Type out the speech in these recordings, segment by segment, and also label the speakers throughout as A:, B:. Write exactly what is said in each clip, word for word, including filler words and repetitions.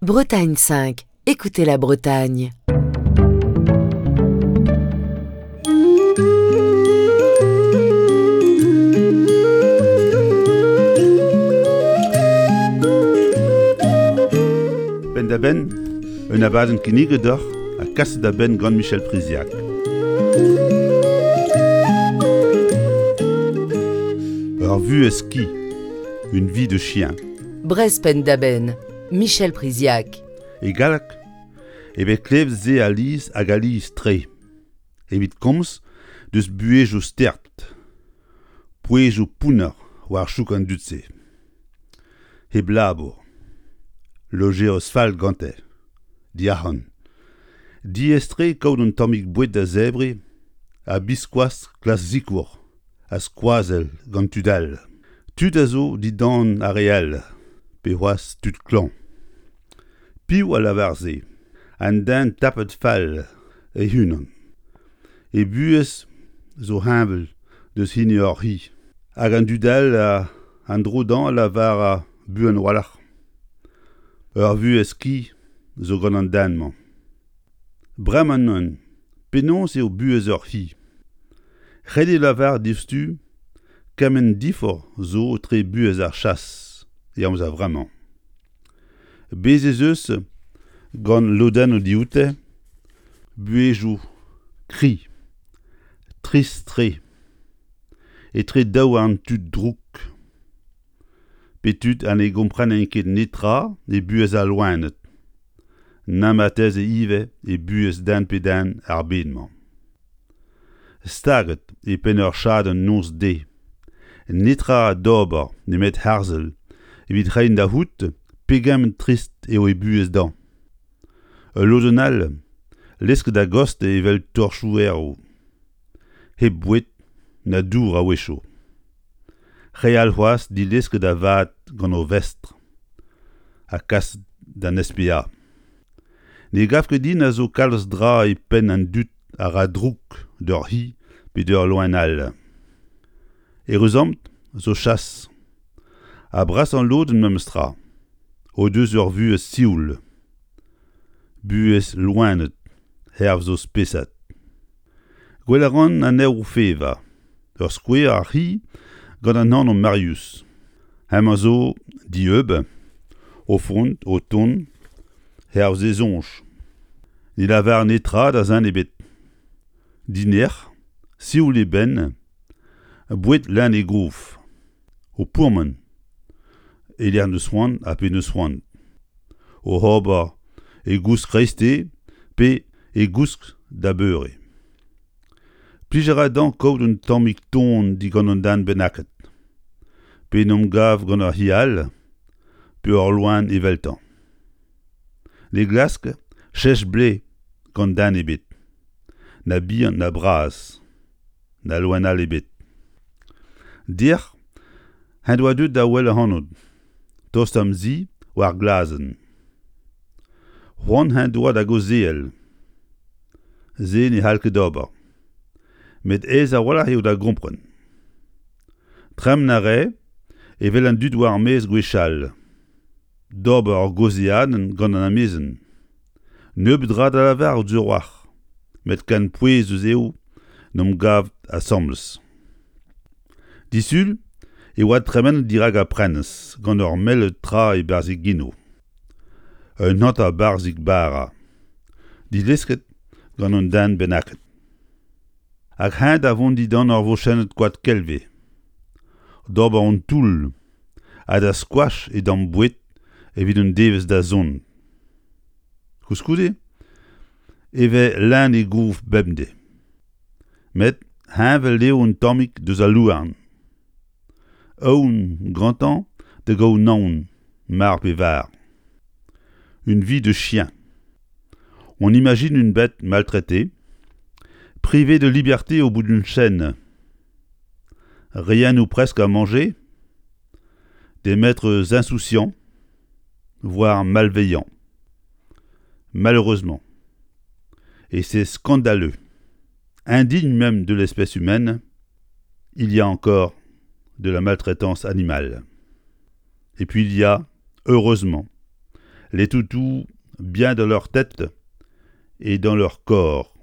A: Bretagne cinq, écoutez la Bretagne.
B: Penn-da-benn, un abadenn kinniget deoc'h ha kaset da benn gant Michel Priziac. Ur vuhez ki, une vie de chien.
A: Brest Penn-da-Benn, Michel Priziac.
B: E galleg e vez klevet se alies hag alies-tre. Evit komz deus buhezioù stert, pouezoù pounner war chouk an dud-se. Hep labour, lojeiz fall gante, diarc'hant. Diaes-tre kaout un tammig boued da zebriñ ha biskoazh klask sikour ha skoazell gant tud all. Tud a zo dindan ar re all, pe c'hoazh tud klañv. Piv a lavar se? An den tapet fall e-unan. E buhez zo heñvel deus hini ur c'hi. Hag an dud all an dro dezhañ a lavar buan a-walc'h. Ur vuhez ki zo gant an den-mañ. Bremañ neuze, penaos eo buhez ur c'hi? Ret eo lavaret diouzhtu kement diforc'h zo etre buhez ar chas e amzer vremañ. Bez' ez eus gant lodennoù dioute buhezioù kriz, trist-tre, etre daouarn tud drouk, pe tud ha ne gomprenent ket netra e buhez al loened, na marteze ivez e buhez den pe den ar bed-mañ. Staget e penn ur chadenn noz-deiz, netra d'ober nemet harzel evit reiñ da c'hoût pegement trist eo e buhez dezhañ. Ul lodenn all lesket a-gostez evel torchoù-erv, hep boued na dour a-wechoù. Re all c'hoazh dilesket da vat gant o vestr ha kaset d'an S P A. Ne gav ket din a zo kalz dra e penn an dud a ra drouk d'ur c'hi pe d'ur loen all. Eüruzamant zo chas, ha brasañ lodenn memes tra, o deus ur vuhez sioul, buhez loened hervez o spesad. Gwell a ran anezho o fevañ, ur skouer ar c'hi gant an anv Marius. Hemañ zo dieub, o vont, o tont, hervez e soñj. Ne lavar netra da zen ebet. Dinec'h, sioul e benn, boued leun e gof. O pourmen, e-lec'h n'eus c'hoant ha pe n'eus c'hoant. O ober e gousk kreisteiz pe e gousk da beure. Plij a ra dezhañ kaout un tammig ton digant un den bennaket. Pe en em gav gant ur c'hi all, pe ur loen eveltañ. Ne glask chech blez gant den ebet, na bihan na bras, na loen all ebet. Dec'h en doa deuet da wel ac'hanon, tost am zi war glazenn. C'hoant en doa da gaozeal. Se ne c'hall ket ober. Met aes a-walc'h eo da gompren. Tremen a rae evel an dud war ar maez gwechall. D'ober ur gaozeadenn gant an amezen. Nebeut dra da lavarout sur a-walc'h, met ken pouezus eo n'omp gavet asambles. Disul e oa tremenet dirak ar prenestr gant ur mell tra e-barzh e genoù. Un hanter barzhig bara, dilesket gant un den bennaket. Hag heñ da vont dindan ur vochennad koad kelve, d'ober un toull ha da skoach e damm boued evit un devezh da zont. Koulskoude e vez leun e gof bemdez. Met heñvel eo un tammig deus al louarn. Aon gantañ da gaout naon, mar pe var. Une vie de chien. On imagine une bête maltraitée, privée de liberté au bout d'une chaîne. Rien ou presque à manger, des maîtres insouciants, voire malveillants. Malheureusement, et c'est scandaleux, indigne même de l'espèce humaine, il y a encore de la maltraitance animale. Et puis il y a, heureusement, Les toutous bien dans leur tête et dans leur corps.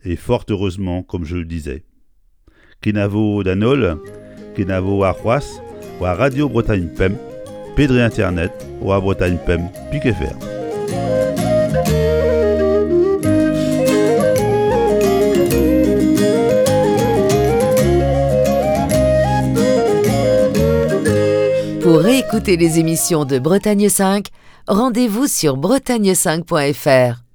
B: Et fort heureusement, comme je le disais. Kenavo d'an holl, kenavo warc'hoazh, war Radio Bretagne Pemp, pe dre internet, war Bretagne Pemp, pik F R.
A: Pour réécouter les émissions de Bretagne cinq, rendez-vous sur bretagne cinq point F R.